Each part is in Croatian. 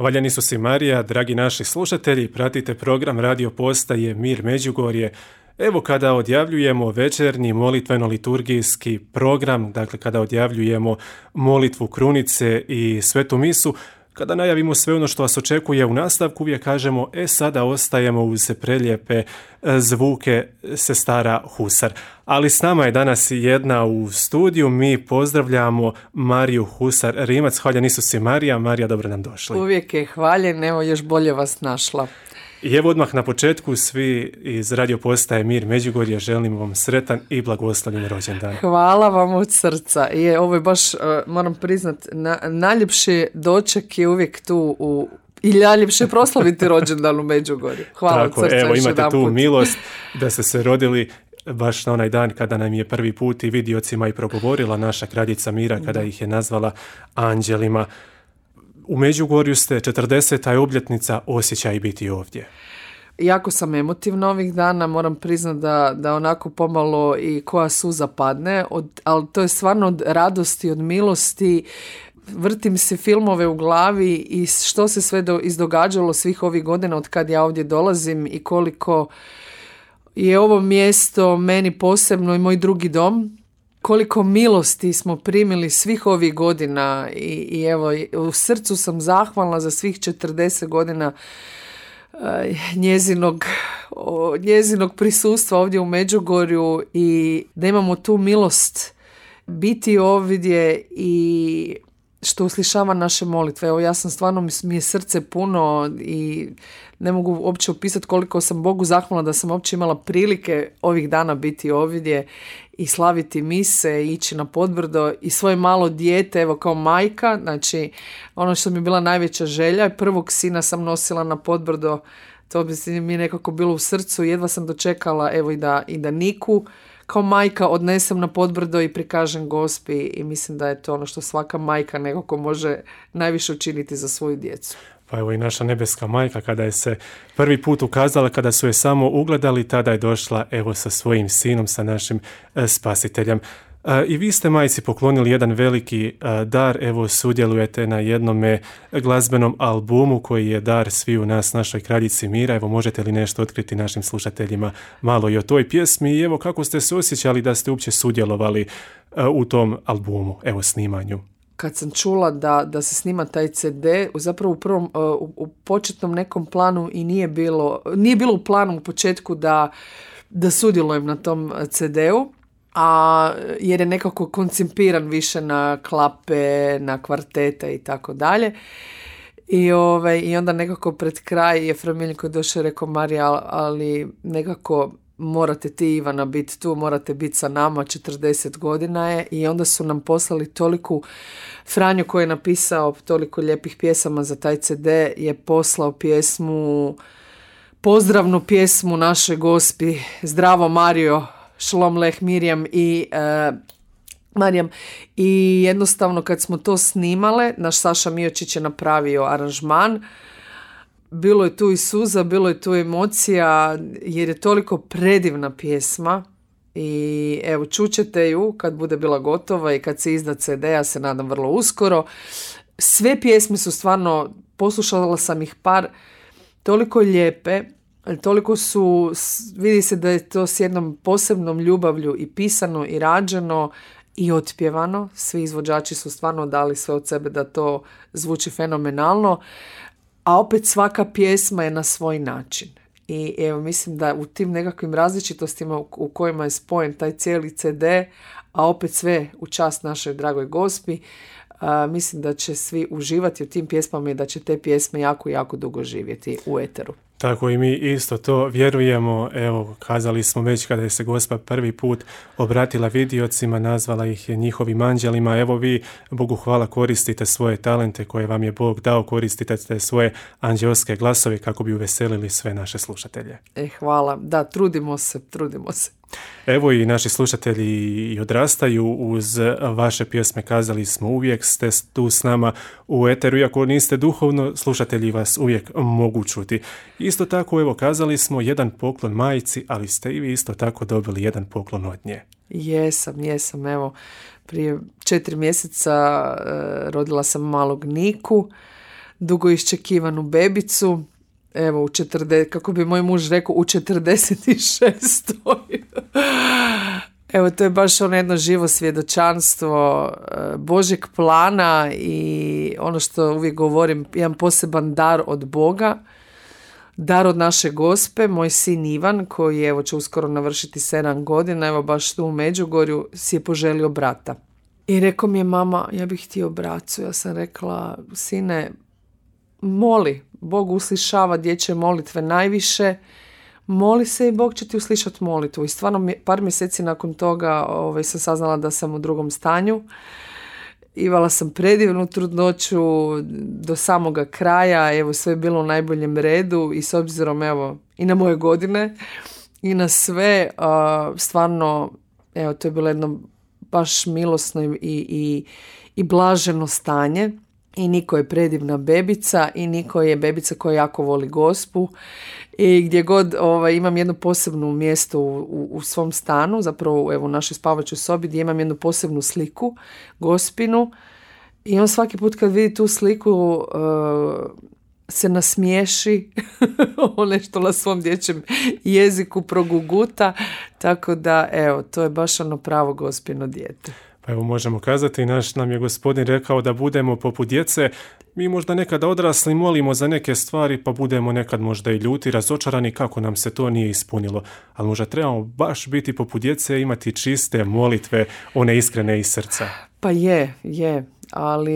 Hvaljen Isus i Marija, dragi naši slušatelji, pratite program Radio Postaje Mir Međugorje. Evo kada odjavljujemo večernji molitveno-liturgijski program, dakle kada odjavljujemo molitvu krunice i svetu misu, kada najavimo sve ono što vas očekuje u nastavku, uvijek kažemo, sada ostajemo uz prelijepe zvuke sestara Husar. Ali s nama je danas jedna u studiju, mi pozdravljamo Mariju Husar Rimac. Hvaljen Isus i Marija. Marija, dobro nam došli. Uvijek je hvaljen, evo još bolje vas našla. I evo odmah na početku svi iz Radio Postaje Mir Međugorje želimo vam sretan i blagoslovljen rođendan. Hvala vam od srca. Ovo je baš, moram priznat, najljepši doček je uvijek tu i najljepše proslaviti rođendan u Međugorju. Hvala tako, od srca. Evo imate tu milost da ste se rodili baš na onaj dan kada nam je prvi put i vidiocima i progovorila naša kraljica Mira kada ih je nazvala anđelima. U Međugorju ste, 40. obljetnica, osjećaj biti ovdje. Jako sam emotivna ovih dana, moram priznati da onako pomalo i koja suza padne, ali to je stvarno od radosti, od milosti. Vrtim se filmove u glavi i što se sve izdogađalo svih ovih godina od kad ja ovdje dolazim i koliko je ovo mjesto meni posebno i moj drugi dom. Koliko milosti smo primili svih ovih godina i evo, u srcu sam zahvalna za svih 40 godina njezinog prisustva ovdje u Međugorju i da imamo tu milost biti ovdje i što uslišava naše molitve. Evo, ja sam stvarno, mi je srce puno i ne mogu uopće opisati koliko sam Bogu zahvalna da sam uopće imala prilike ovih dana biti ovdje i slaviti mise, ići na Podbrdo i svoje malo dijete, evo kao majka, znači ono što mi je bila najveća želja, prvog sina sam nosila na Podbrdo, to bi mi nekako bilo u srcu, jedva sam dočekala evo i da Niku kao majka odnesem na Podbrdo i prikažem Gospi i mislim da je to ono što svaka majka nekako može najviše učiniti za svoju djecu. Pa evo i naša nebeska majka kada je se prvi put ukazala, kada su je samo ugledali, tada je došla evo sa svojim sinom, sa našim spasiteljem. I vi ste majci poklonili jedan veliki dar, evo sudjelujete na jednome glazbenom albumu koji je dar sviju nas, našoj kraljici Mira. Evo možete li nešto otkriti našim slušateljima malo i o toj pjesmi i evo kako ste se osjećali da ste uopće sudjelovali u tom albumu, evo snimanju? Kad sam čula da se snima taj CD, zapravo u početnom nekom planu i nije bilo u planu u početku da sudjelujem na tom CD-u, jer je nekako koncipiran više na klape, na kvartete i tako dalje. I onda nekako pred kraj je Fra Miljko došao i rekao, Marija, ali nekako morate ti, Ivana, biti tu, morate biti sa nama, 40 godina je. I onda su nam poslali toliku, Franjo koji je napisao toliko lijepih pjesama za taj CD, je poslao pozdravnu pjesmu našoj Gospi, Zdravo Marijo, Šlom Leh Mirjam Marijam. I jednostavno kad smo to snimale, naš Saša Miočić je napravio aranžman, bilo je tu i suza, bilo je tu emocija, jer je toliko predivna pjesma i evo čućete ju kad bude bila gotova i kad se izda CD, ja se nadam vrlo uskoro. Sve pjesme su stvarno, poslušala sam ih par, toliko lijepe, toliko su, vidi se da je to s jednom posebnom ljubavlju i pisano i rađeno i otpjevano. Svi izvođači su stvarno dali sve od sebe da to zvuči fenomenalno, a opet svaka pjesma je na svoj način. I evo, mislim da u tim nekakvim različitostima u kojima je spojen taj cijeli CD, a opet sve u čast našoj dragoj Gospi, mislim da će svi uživati u tim pjesmama i da će te pjesme jako, jako dugo živjeti u eteru. Tako i mi isto to vjerujemo. Evo, kazali smo već kada je se Gospa prvi put obratila vidiocima, nazvala ih je njihovim anđelima. Evo vi, Bogu hvala, koristite svoje talente koje vam je Bog dao, koristite te svoje anđelske glasove kako bi uveselili sve naše slušatelje. Hvala. Da, trudimo se. Evo i naši slušatelji i odrastaju uz vaše pjesme, kazali smo, uvijek ste tu s nama u eteru, iako niste duhovno, slušatelji vas uvijek mogu čuti. Isto tako, evo, kazali smo jedan poklon majci, ali ste i vi isto tako dobili jedan poklon od nje. Jesam, evo, prije 4 mjeseca rodila sam malog Niku, dugo iščekivanu bebicu. Evo, kako bi moj muž rekao, u 46. Evo, to je baš ono jedno živo svjedočanstvo Božjeg plana i ono što uvijek govorim, jedan poseban dar od Boga, dar od naše Gospe. Moj sin Ivan, koji evo će uskoro navršiti 7 godina, evo baš tu u Međugorju, si je poželio brata. I rekao mi je, mama, ja bih htio bracu. Ja sam rekla, sine, moli, Bog uslišava dječje molitve najviše, moli se i Bog će ti uslišati molitvu. I stvarno par mjeseci nakon toga sam saznala da sam u drugom stanju. Imala sam predivnu trudnoću do samoga kraja, evo sve je bilo u najboljem redu i s obzirom evo i na moje godine i na sve, stvarno evo to je bilo jedno baš milosno i blaženo stanje. I Niko je predivna bebica i Niko je bebica koja jako voli Gospu i gdje god imam jedno posebno mjesto u svom stanu, zapravo evo u našoj spavačoj sobi gdje imam jednu posebnu sliku Gospinu i on svaki put kad vidi tu sliku se nasmiješi, on nešto na svom dječjem jeziku proguguta, tako da evo to je baš ono pravo Gospino dijete. Pa evo možemo kazati, naš nam je Gospodin rekao da budemo poput djece. Mi možda nekada odrasli molimo za neke stvari, pa budemo nekad možda i ljuti, razočarani kako nam se to nije ispunilo. Ali možda trebamo baš biti poput djece i imati čiste molitve, one iskrene iz srca. Pa je, ali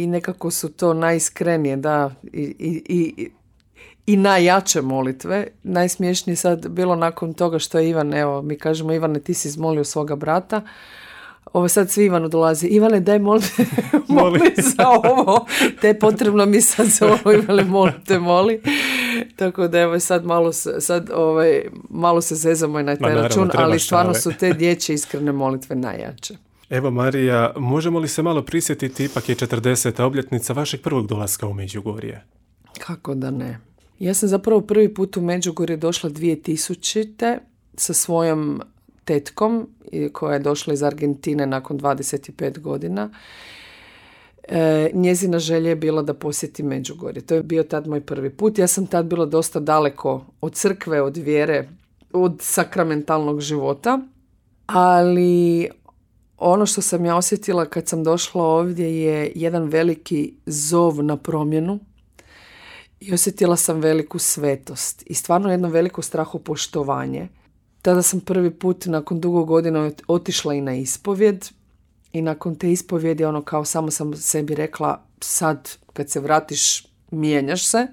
i nekako su to najiskrenije, da, i najjače molitve. Najsmiješnije sad bilo nakon toga što je Ivan, evo mi kažemo, Ivane, ti si izmolio svoga brata. Ovo sad svi Ivanu dolazi, Ivane, daj moli za ovo, te potrebno mi sad za ovo, Ivane, moli. Tako da evo sad malo se zezamo i na taj račun, ali stvarno su te dječje iskrene molitve najjače. Evo Marija, možemo li se malo prisjetiti, ipak je 40. obljetnica vašeg prvog dolaska u Međugorje? Kako da ne. Ja sam zapravo prvi put u Međugorje došla 2000. sa svojom tetkom koja je došla iz Argentine nakon 25 godina. Njezina želja je bila da posjeti Međugorje. To je bio tad moj prvi put. Ja sam tad bila dosta daleko od crkve, od vjere, od sakramentalnog života. Ali ono što sam ja osjetila kad sam došla ovdje je jedan veliki zov na promjenu. I osjetila sam veliku svetost i stvarno jedno veliko strahopoštovanje. Tada sam prvi put nakon dugo godina otišla i na ispovjed i nakon te ispovjedi kao samo sam sebi rekla, sad kad se vratiš mijenjaš se.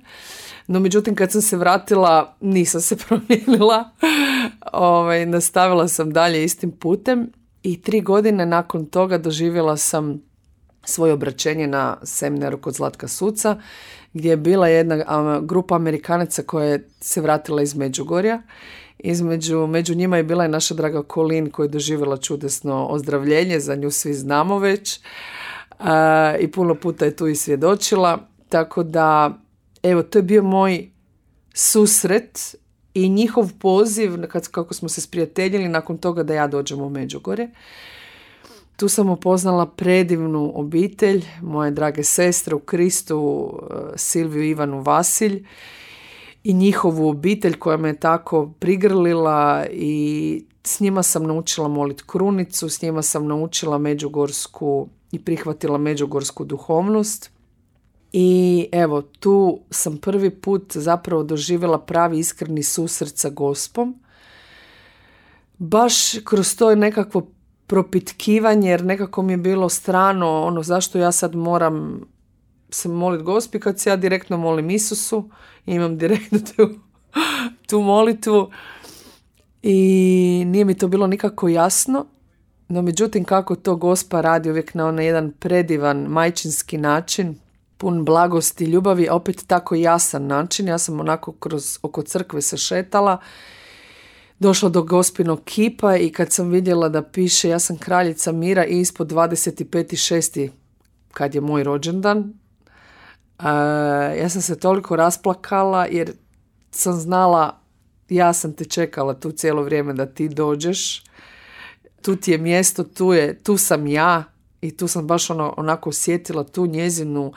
No međutim kad sam se vratila nisam se promijenila. Nastavila sam dalje istim putem i 3 godine nakon toga doživjela sam svoje obraćenje na seminaru kod Zlatka Suca gdje je bila jedna grupa Amerikanaca koja je se vratila iz Međugorja. Među njima je bila i naša draga Colin koja je doživjela čudesno ozdravljenje, za nju svi znamo već i puno puta je tu i svjedočila, tako da evo to je bio moj susret i njihov poziv kako smo se sprijateljili nakon toga da ja dođem u Međugorje. Tu sam upoznala predivnu obitelj, moje drage sestre u Kristu, Silviju, Ivanu, Vasilj i njihovu obitelj koja me je tako prigrlila i s njima sam naučila moliti krunicu, s njima sam naučila međugorsku i prihvatila međugorsku duhovnost. I evo, tu sam prvi put zapravo doživjela pravi iskreni susret sa Gospom. Baš kroz to je nekakvo propitkivanje, jer nekako mi je bilo strano zašto ja sad moram se moliti Gospi kad se ja direktno molim Isusu i imam direktno tu molitvu i nije mi to bilo nikako jasno, no međutim kako to Gospa radi uvijek na onaj jedan predivan majčinski način, pun blagosti i ljubavi, a opet tako jasan način. Ja sam onako oko crkve se šetala, došla do Gospinog kipa i kad sam vidjela da piše ja sam kraljica mira i ispod 25.6. kad je moj rođendan, ja sam se toliko rasplakala jer sam znala, ja sam te čekala tu cijelo vrijeme da ti dođeš, tu ti je mjesto, tu sam ja i tu sam baš onako osjetila tu njezinu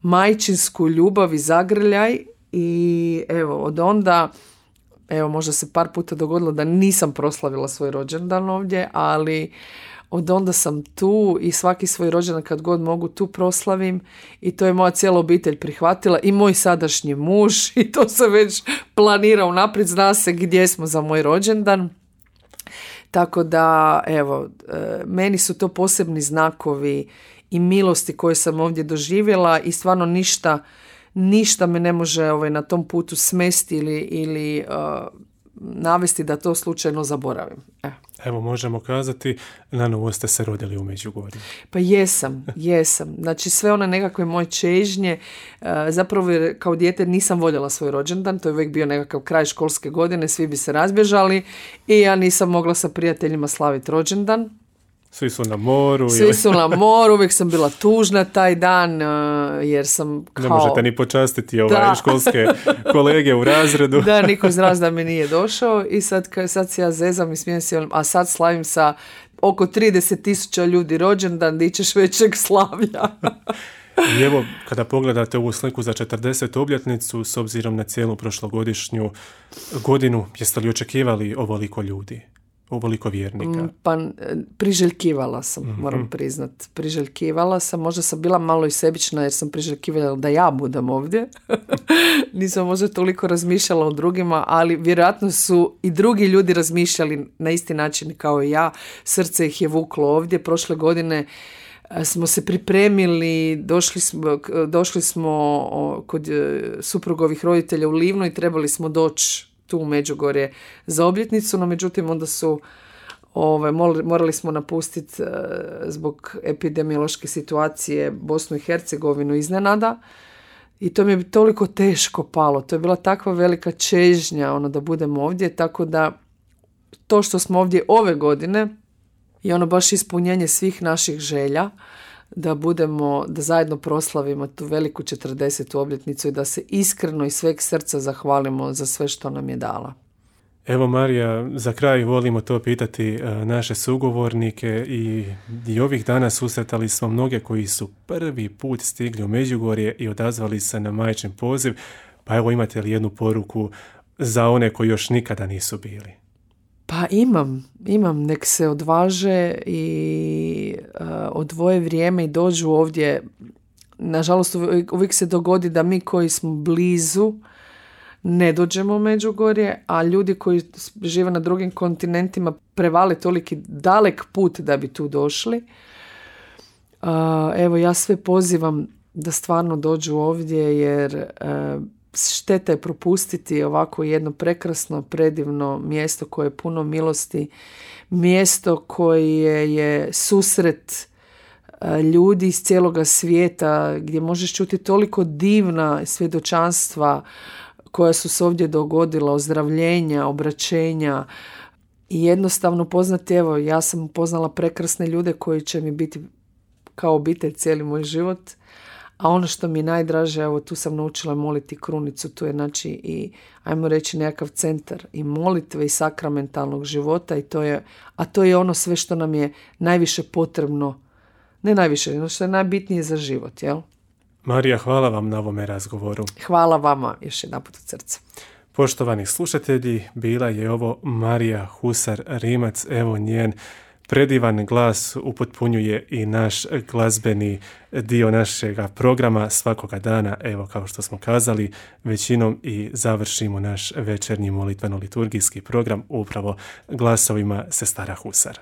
majčinsku ljubav i zagrljaj i evo, od onda, evo, možda se par puta dogodilo da nisam proslavila svoj rođendan ovdje, ali od onda sam tu i svaki svoj rođendan kad god mogu tu proslavim i to je moja cijela obitelj prihvatila i moj sadašnji muž i to se već planira unaprijed, zna se gdje smo za moj rođendan. Tako da, evo, meni su to posebni znakovi i milosti koje sam ovdje doživjela i stvarno ništa me ne može na tom putu smesti ili navesti da to slučajno zaboravim. Evo, možemo kazati, na novo ste se rodili u Međugorju. Pa jesam. Znači, sve one nekakve moje čežnje, zapravo kao dijete nisam voljela svoj rođendan, to je uvijek bio nekakav kraj školske godine, svi bi se razbježali i ja nisam mogla sa prijateljima slaviti rođendan. Svi su na moru. Svi su na moru, uvijek sam bila tužna taj dan, jer sam kao... Ne možete ni počastiti školske kolege u razredu. Da, niko iz razreda mi nije došao i sad se ja zezam i smijem se, a sad slavim sa oko 30,000 ljudi rođendan, di ćeš većeg slavlja. I evo, kada pogledate ovu sliku za 40. obljetnicu, s obzirom na cijelu prošlogodišnju godinu, jeste li očekivali ovoliko ljudi? Ovoliko vjernika? Pa priželjkivala sam, moram priznat. Priželjkivala sam, možda sam bila malo i sebična jer sam priželjkivala da ja budem ovdje. Nisam možda toliko razmišljala o drugima, ali vjerojatno su i drugi ljudi razmišljali na isti način kao i ja. Srce ih je vuklo ovdje. Prošle godine smo se pripremili, došli smo kod suprugovih roditelja u Livno i trebali smo doći tu u Međugorje za obljetnicu, no međutim onda su morali smo napustiti zbog epidemiološke situacije Bosnu i Hercegovinu iznenada i to mi je toliko teško palo. To je bila takva velika čežnja da budemo ovdje, tako da to što smo ovdje ove godine je baš ispunjenje svih naših želja da zajedno proslavimo tu veliku 40. obljetnicu i da se iskreno iz sveg srca zahvalimo za sve što nam je dala. Evo, Marija, za kraj volimo to pitati naše sugovornike i ovih dana susretali smo mnoge koji su prvi put stigli u Međugorje i odazvali se na majčin poziv, pa evo, imate li jednu poruku za one koji još nikada nisu bili? Pa imam, nek se odvaže i odvoje vrijeme i dođu ovdje. Nažalost, uvijek se dogodi da mi koji smo blizu ne dođemo u Međugorje, a ljudi koji žive na drugim kontinentima prevale toliki dalek put da bi tu došli. Evo, ja sve pozivam da stvarno dođu ovdje jer šteta je propustiti ovako jedno prekrasno, predivno mjesto koje je puno milosti, mjesto koje je susret ljudi iz cijeloga svijeta, gdje možeš čuti toliko divna svjedočanstva koja su se ovdje dogodila, ozdravljenja, obraćenja i jednostavno poznati, evo, ja sam upoznala prekrasne ljude koji će mi biti kao obitelj cijeli moj život. A ono što mi je najdraže, evo, tu sam naučila moliti krunicu, tu je znači i, ajmo reći, nekakav centar i molitve i sakramentalnog života a to je ono sve što nam je najviše potrebno, ne najviše, ono što je najbitnije za život, jel? Marija, hvala vam na ovome razgovoru. Hvala vama još jedanput od srca. Poštovani slušatelji, bila je ovo Marija Husar-Rimac, evo njen predivan glas upotpunjuje i naš glazbeni dio našega programa svakoga dana. Evo, kao što smo kazali, većinom i završimo naš večernji molitveno-liturgijski program upravo glasovima sestara Husar.